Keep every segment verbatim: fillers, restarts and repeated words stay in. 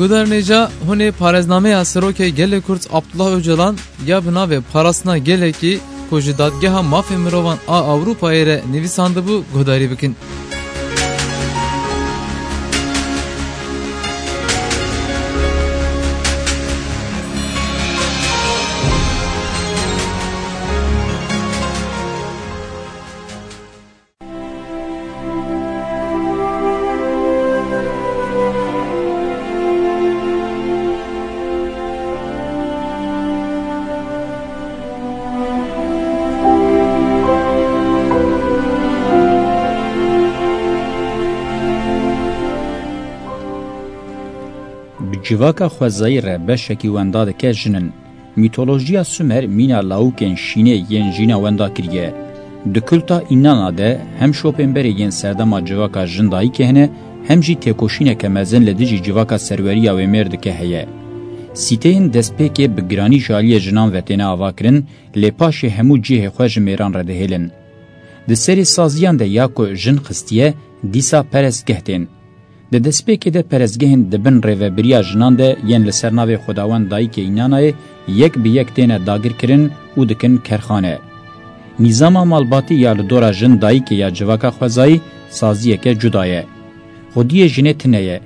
Guhdarên hêja, hûn ê parêznameya Serokê Gelê Kurd Abdullah Ocalan ya bi navê Parastina Gelekî ku ji Dadgeha Mafê Mirovan a Ewropayê re nivîsandibû guhdarî bikin. Bi civaka xwezayî re beşekî wenda dike jin in. Mîtolojiya Sumer mîna lawikên şînê yên jîna wenda kiriye. Di kulta Înana de hem şopên berê yên serdema civaka jin dayikê hene, hem jî têkoşîneke mezin li dijî civaka serweriya wê mêr dike heye. Sîteyên destpêkê bi giranî ji aliyê jinan ve têne avakirin, lê paşê hemû cihê xwe ji mêran re dihêlin. Di serê saziyan de ya ku jin xistiye, dîsa perestgeh tên. Di destpêkê de perestgehên di bin rêvebiriya jinan de yên li ser navê Xwedawend Dayikê Înanayê yek bi yek têne dagirkirin û dikin kerxane. Nîzama malbatî ya li dora jin dayikê ya civaka xwezayî saziyeke cuda ye. Xwediyê jinê tune ye.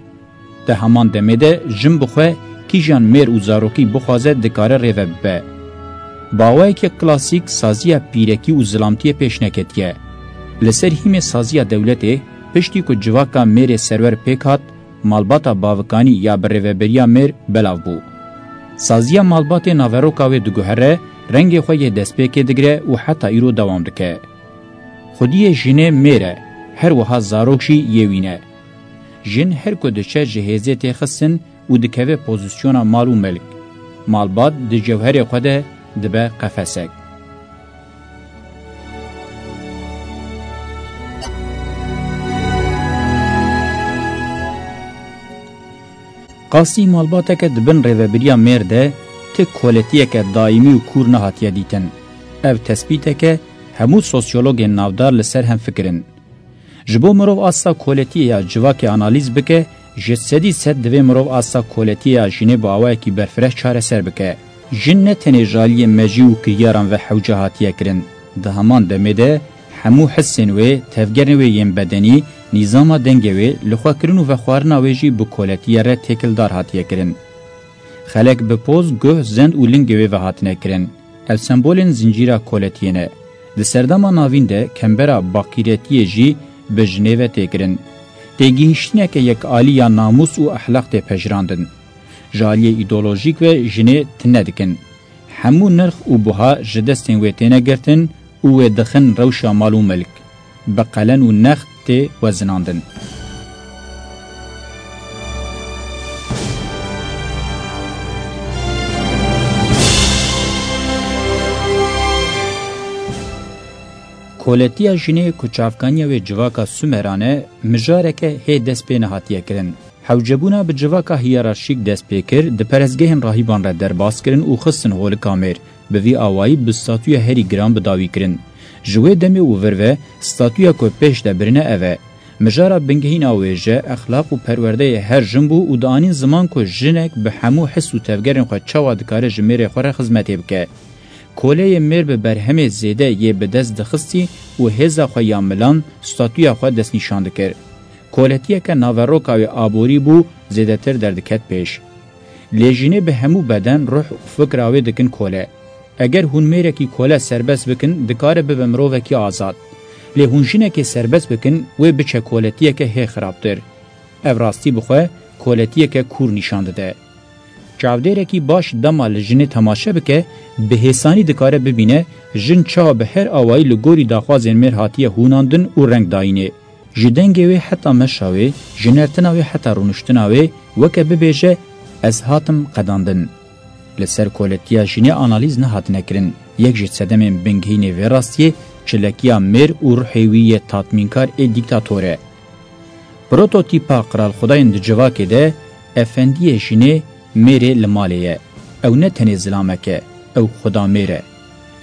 Di heman demê de jin bi xwe kîjan mêr û zarokî bixwaze dikare rêve bibe. Bi awayekî klasîk saziya pîrekî û zilamtiyê pêş neketiye. Li ser hîmê saziya dewletê, piştî ku civaka mêrê serwer pêk hat, malbata bavikanî ya bi rêveberiya mêr belav bû. Saziya malbatê naveroka wê diguhere, rengê xwe yê destpêkê digire û heta îro dewam dike. Xwediyê jinê mêr e, her wiha zarok jî yê wî ne. Jin her ku diçe ji hêzê tê xistin û dikeve pozîsyona mal û milk. Malbat di cewherê xwe de dibe qefesek. Qasî malbateke di bin rêvebiriya mêr de ti koletiyeke daîmî û kûr nehatiye dîtin. Ev tespîteke hemû sosyologên navdar li ser hem fikirin. Ji bo mirov asta koletiyê ya civakê analîz bike, ji sedî sed divê mirov asta koletiyê ya jinê bi awayekî berfireh çareser bike. Jin ne tenê ji aliyê mejî û kiryaran ve hewce hatiye kirin. Di heman demê de hemû hisên wê, tevgerên wê yên bedenî, nîzama dengê wê, lixwekirin û vexwarina wê jî bi koletiye re têkildar hatiye kirin. Xelek bi poz, guh, zend û lingê wê ve hatine kirin. Ev sembolên zincîra koletiyê ne. Di serdema navîn de kembera baqîretiyê jî bi jinê ve tê kirin. Têgihiştineke yekalî ya namûs û exlaq tê pejirandin. Ji aliyê îdeolojîk ve jinê tune dikin. Hemû nirx û buha ji destên wê têne girtin û wê dixin rewşa mal û milk. Bi qelen û next tê wezinandin. Koletiya jinê ku çavkaniya wê civaka Sumeran e, mijareke hê dest pê nehatiye kirin. Hewcebûna bi civaka hiyerarşîk dest pê kir, di perestgehên rahîban re derbas kirin û xistin holika mêr. Bi vî awayî bi statuya herî giran bi dawî kirin. Ji wê demê û vir ve statuya ku pêş de birine ev e. Mijara bingehîna wêje, exlaq û perwerdeyê her jin bû û dianîn ziman ku jinek bi hemû his û tevgerên xwe çawa dikare ji mêrê xwe re xizmetê bike. Koleyê mêr bi berhemê zêde yê bi dest dixistî û hêza xwe ya milan, statuya xwe destnîşan dikir. Koletiyeke naveroka wê aborî bû, zêdetir derdiket pêş. Lê jinê bi hemû beden, ruh û fikra wê dikin kole. Eger hûn mêrekî kole serbest bikin, dikare bibe mirovekî azad. Lê hûn jinekê serbest bikin, wê biçe koletiyeke hê xirabtir. Ev rastî bi xwe koletiyeke kûr nîşan dide. Çavdêrekî baş dema li jinê temaşe bike, bi hêsanî dikare bibîne, jin çawa bi her awayî li gorî daxwazên mêr hatiye hûnandin û reng dayînê. Ji dengê wê heta meşa wê, ji nertina wê heta rûniştina wê, weke bibêje, ez hatim qedandin. Li ser koletiya jinê analîz nehatine kirin. Yek ji sedemên bingehînê vê rastiyê, çilekiya mêr û ruhê wî yê tatmînkar ê dîktator e. Prototîpa qiralxwedayên di civakê de, efendiyê jinê mêrê li malê ye. Ew ne tenê zilamek e, ew xweda mêr e.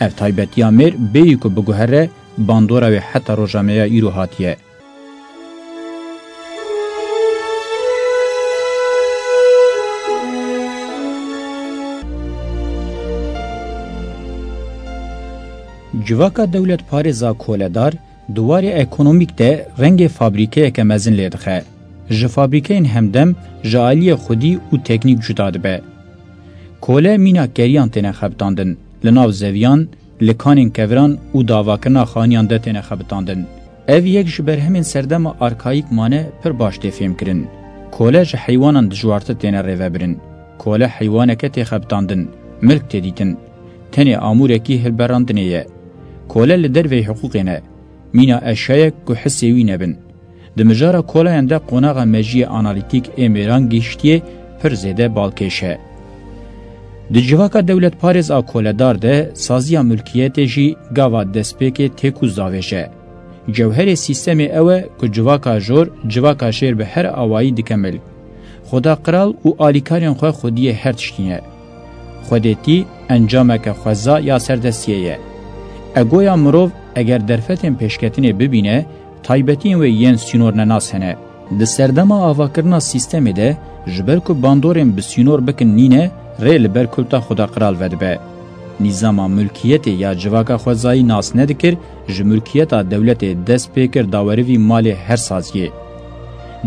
Ev taybetiya mêr bêyî ku biguhere, bandora wê heta roja me ya îro hatiye. Civaka dewletparêz a koledar di warê ekonomîk de rengê fabrîkeyeke mezin lê dixe. Ji fabrîkeyên hemdem ji aliyê xwedî û teknîk cuda dibe. Kole mîna keriyan têne xebitandin, li nav zeviyan, li kanên keviran û davakirina xaniyan de têne xebitandin. Ev yek ji berhemên serdema arkayîk mane pir baş tê fêmkirin. Kole ji heywanan dijwartir têne rêvebirin. Kole heywaneke tê xebitandin, milk tê dîtin. Tenê amûrekî hilberandinê ye. Kole li derveyî hiqûqê ne. Mîna eşya ye ku hisê wî nebin. Di mijara kolayan de qonaxa mejiyê analîtîk ê mêran gihiştiyê pir zêde balkêş e. Di civaka dewletparêz a koledar de saziya milkiyetê jî gava destpêkê têk û zavêj e. Cewherê sîstemê ew e ku civaka jor, civaka jêr bi her awayî dike milk. Xweda qral û alîkarên xwe xwediyê her tiştî ne. Xwedêtî encameke xweza ya serdestiyê ye. Egoya mirov eger derfetên pêşketinê bibîne, taybetiyên wê yên sînornenas hene. Di serdema avakirina sîstemê de, ji ber ku bandorên bi sînor bikin nîne, rê li ber kulta Xweda qral vedibe. Nîzama mulkiyetê ya civaka xwezayî nas nedikir, ji mulkiyeta dewletê dest pê kir dawerivî malê her saziyê.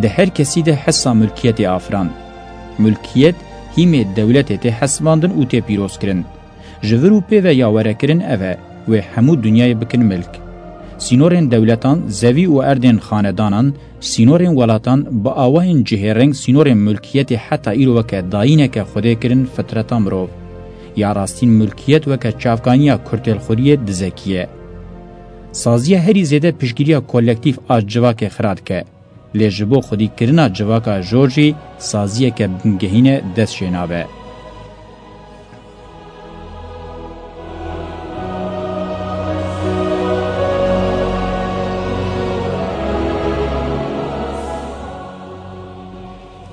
Di her kesî de hesa mulkiyetê afiran. Mulkiyet hîmê dewletê tê hesibandin û tê pîrozkirin. Ji vir û pê ve ya werekirin ev e, wê hemû dinyayê bikin milk. Sînorên dewletan, zevî û erdên xanedanan, sînorên welatan bi awayên cihêreng sînorên mulkiyetê heta îro weke dayîneke xwedê kirin fitreta mirov. Ya rastîn mulkiyet weke çavkaniya kurtêlxuriyê dizekî ye. Saziya herî zêde piştgiriya kolektîf a civakê xira dike. Lê ji bo xwedîkirina civaka jor jî saziyeke bingehîn e dest jê nabe.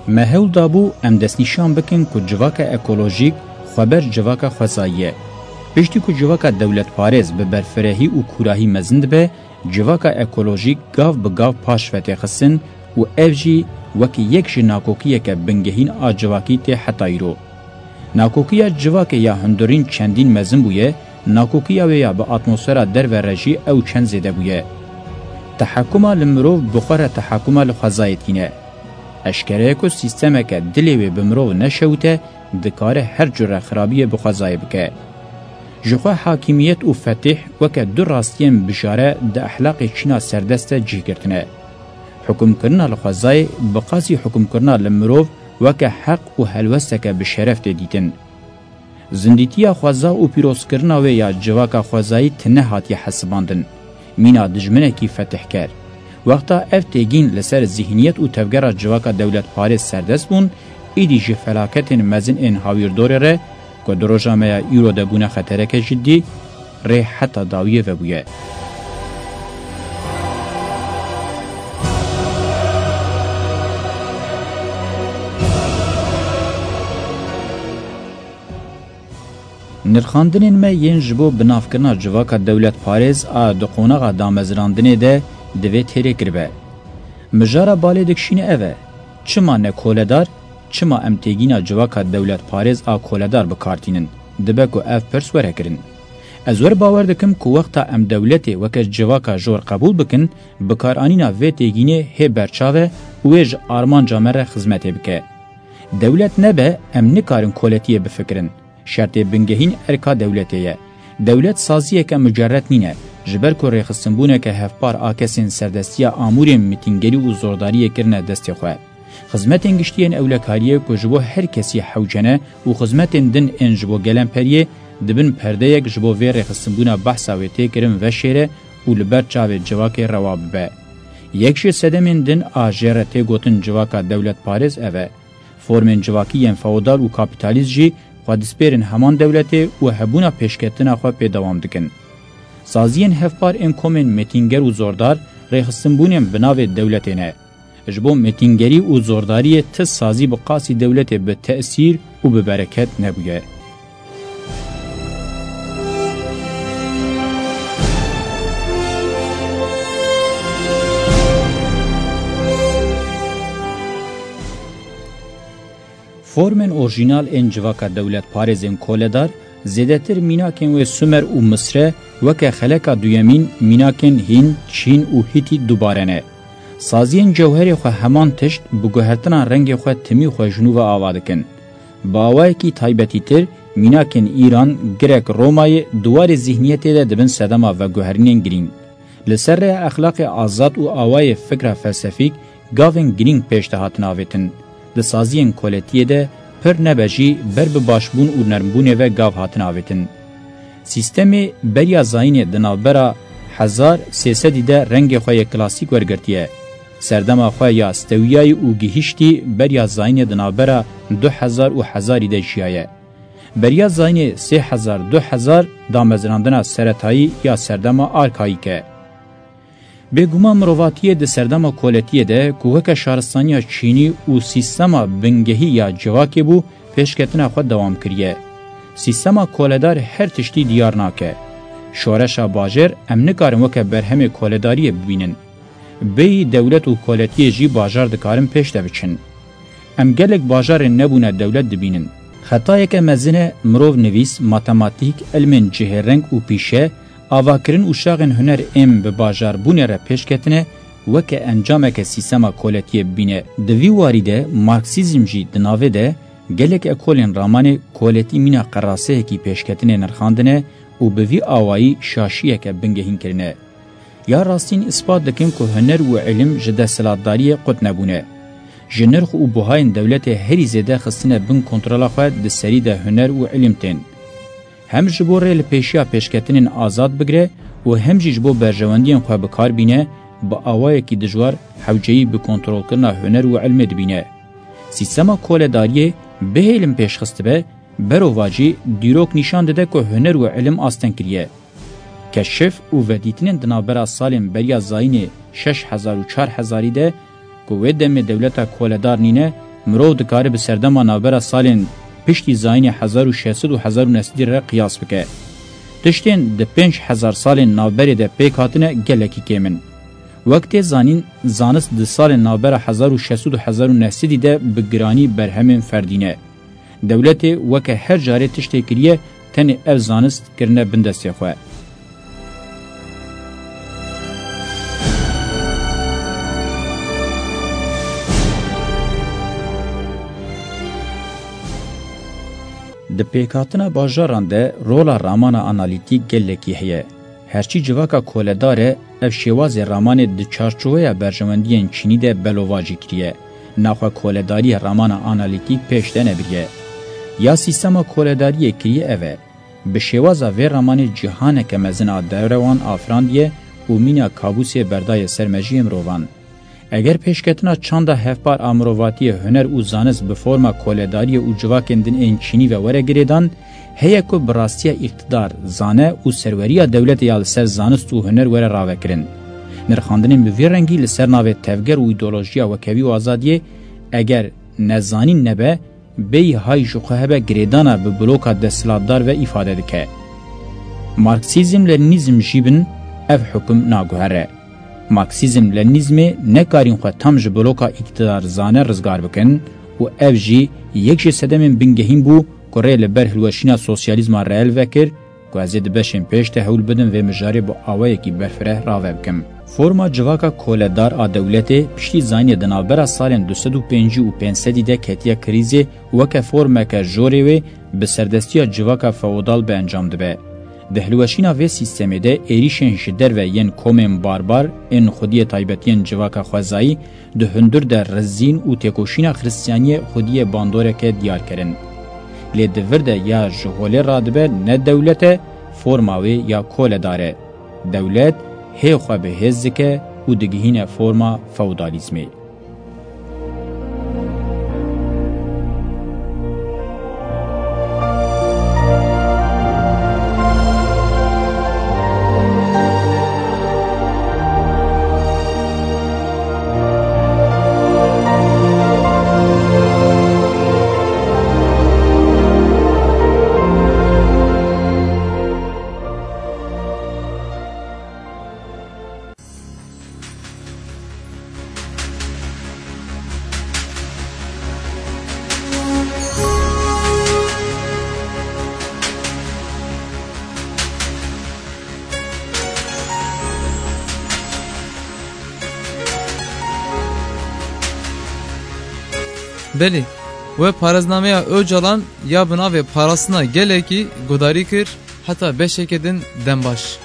Me hewl dabû em destnîşan bikin ku civaka ekolojîk xweber civaka xwezayî ye. Piştî ku civaka dewletparêz bi berfirehî û kûrahî mezin dibe, civaka ekolojîk gav bi gav paş ve tê xistin û ev jî wekî yek ji nakokiyeke bingehîn a civakî tê heta îro. Nakokiya civakê ya hundirîn çendîn mezin bûye, nakokiya wê ya bi atmosfera derve re jî ew çend zêde bûye. Tehekuma li mirov bi xwe re tehekuma li xwezayê tîne. Eşkere ye ku sîstemeke dilê wê bi mirov neşewite, dikare her cure xirabiyê bi xwezayê bike. Ji xwe hakimiyet û fetih weke du rastiyên bijare di ehlaqê çîna serdest de cih girtine. Hukumkirina li xwezayê bi qasî hukumkirina li mirov weke heq û helwesteke bi şeref tê dîtin. Zindîtiya xweza û pîrozkirina wê ya civaka xwezayî ti nehatiye hesibandin. Mîna dijminekî fetihker. Wexta ev têgîn li ser zîhniyet û tevgera civaka dewletparêz serdest bûn, îdî ji felaketên mezin ên hawîrdorê re, ku di roja me ya îro de bûne xetereke cidî, rê heta dawiyê vebûye. Nirxandinên me yên ji bo binavkirina civaka dewletparêz a di qonaxa damezrandinê de divê têrê kiribe. Mijara balê dikişîne ev e, çima ne koledar, çima em têgîna civaka dewletparêz a koledar bi kar tînin? Dibe ku ev pirs were kirin. Ez wer bawer dikim ku wexta em dewletê weke civaka jor qebûl bikin, bikaranîna vê têgînê hê berçav e û wê ji armanca me re xizmetê bike. Dewlet nebe, em nikarin koletiyê bifikirin. Şertê bingehîn erka dewletê ye. Dewlet saziyeke mucerred nîne, ji ber ku rêxistinbûneke hevpar a kesên serdestiya amûrên mitîngerî û zordariyê kirine destê xwe. Xizmetên giştî yên ewlekariyê ku ji bo her kesî hewce ne û xizmetên din ên ji bo gelemperiyê di bin perdeyek ji bo vê rêxistinbûna behsa wê tê kirin veşêre û li ber çavê civakê rewa bibe. Yek ji sedemên din a jê re tê gotin civaka dewletparêz ev e. Formên civakî yên feodal û kapîtalîst jî xwe dispêrin heman dewletê û hebûna pêşketina xwe pê dewam dikin. Saziyên hevpar ên komên metînger û zordar rêxistinbûnên bi navê dewletê ne. Ji bo metîngerî û zordariyê ti sazî bi qasî dewletê bi tesîr û bi bereket nebûye. Formên orjînal ên civaka dewletparêzên koledar Zêdetir mînakên wê Sumer û Misre weke xeleka duyemîn mînakên Hîn, Çîn û Hîtît dubare ne. Saziyên cewherê xwe heman tişt bi guhertina rengê xwe timî xwe ji nû ve ava dikin. Bi awayekî taybetîtir, mînakên Îran, Grek, Romayê di warê zîhniyetê de dibin sedema veguherînên girîng. Li ser rêya exlaqê azad û awayê fikra felsefîk gavên girîng pêş de hatin avêtin. Di saziyên koletiyê de pir nebe jî ber bi başbûn û nermbûnê ve gav hatin avêtin. Sîstemê beriya zayînê di navbera hezar sê sedî de rengê xwe yê klasîk wergirtiye. Serdema xwe ya stewiyayî û gihiştî beriya zayînê di navbera du hezar û hezarî de jiyaye. Beriya zayînê sê hezar du hezar damezinandina seretayî ya serdema arkayîk e. Bêguman mirovatiyê di serdema koletiyê de ku weke şaristaniya çînî û sîstema bingehî ya civakê bû, pêşketina xwe dewam kiriye. Sîstema koledar her tiştî diyar nake. Şoreşa bajêr em nikarin weke berhemê koledariyê bibînin. Bêyî dewlet û koletiyê jî bajar dikarin pêş de biçin. Em gelek bajarên nebûne dewlet dibînin. Xetayeke mezin e mirov nivîs, matematîk, ilmên cihêreng û pîşe, avakirin û şaxên huner ên bi bajarbûnê re pêş ketine, weke encameke sîstema koletiyê bibîne. Di vî warî de Marksîzm jî di navê de gelek ekolên ramanê koletî mîna qeraseyekî pêşketinê nirxandine û bi vî awayî şaşiyeke bingehîn kirine. Ya rastîn îspat dikin ku huner û ilim ji desthilatdariyê qut nebûne. Ji nirx û buhayên dewletê herî zêde xistine bin kontrola xwe di serî de huner û ilim tên. Hem ji bo rê li pêşiya pêşketinên azad bigire û hem jî ji bo berjewendiyên xwe bi kar bîne, bi awayekî dijwar hewceyî bi kontrolkirina huner û ilmê dibîne. Sîstema koledariyê bihêlin pêş xistibe, berovajî dîrok nîşan dide ku huner û ilim asteng kiriye. Keşif û vedîtinên di navbera salên beriya zayînê şeş hezar û çar hezarî de ku wê demê dewleta koledar nîne, mirov dikare bi serdema navbera salên piştî zayînê hezar û şeş sed û hezar û neh sedî re qiyas bike. Tiştên di pênc hezar salên navberê de pêk hatine gelekî kêm in. Wek tê zanîn, zanist di salên navbera hezar û şeş sed û hezar û neh sedî de bi giranî berhemên ferdî ne. Dewletê weke her carê tiştê kiriye, tenê ev zanist kirine bin destê xwe. Di pêkhatina bajaran de rola ramana analîtîk gelekî heye. Herçî civaka koledar e, ev şêwazê ramanê di çarçoveya berjewendiyên çînî de belovajî kiriye. Naxwe koledariyê ramana analîtîk pêş de nebiriye. Ya sîstema koledariyê kiriye ev e. Bi şêwaza vê ramanê cîhaneke mezin a derewan afirandiye û mîna kabûsê berdaye ser mejiyê mirovan. Eger pêşketina çanda hevpar a mirovatiyê, huner û zanist bi forma koledariyê û civakên din ên çînî ve were girêdan, heye ku bi rastiya îqtidar, zane û serweriya dewletê ya li ser zanist û huner were ravekirin. Nirxandinên bi vî rengî li ser navê tevger û îdeolojiya wekhevî û azadiyê, eger ne zanîn nebe, bêyî hay ji xwe hebe girêdana bi bloka desthilatdar ve îfade dike. Marksîzm-Lenînîzm jî bin ev hukum naguhere. Marksîzm-Lenînîzmê nekarîn xwe tam ji bloka îktidar zane rizgar bikin û ev jî yek ji sedemên bingehîn bû ku rê li ber hilweşîna sosyalîzma reel vekir, ku ez ê di beşên pêş de hewl bidim vê mijarê bi awayekî berfireh rave bikim. Forma civaka koledar a dewletê piştî zayînê di navbera salên du sed û pêncî û pênc sedî de ketiye krîzê, weke formeke jorê wê bi serdestiya civaka feodal bi encam dibe. Di hilweşîna vê sîstemê de êrîşên ji derve yên komên barbar ên xwediyê taybetiyên civaka xwezayî di hundir de rizîn û têkoşîna Xristiyaniyê xwediyê bandoreke diyar kirin. Lê di vir de ya ji holê radibe ne dewlet e, forma wê ya koledar e. Dewlet hê xwe bi hêz dike û digihîne forma feodalîzmê. Belê, we parêznameya Ocalan ya bi navê Parastina Gelekî gudarî kir, heta beşeke din dem baş.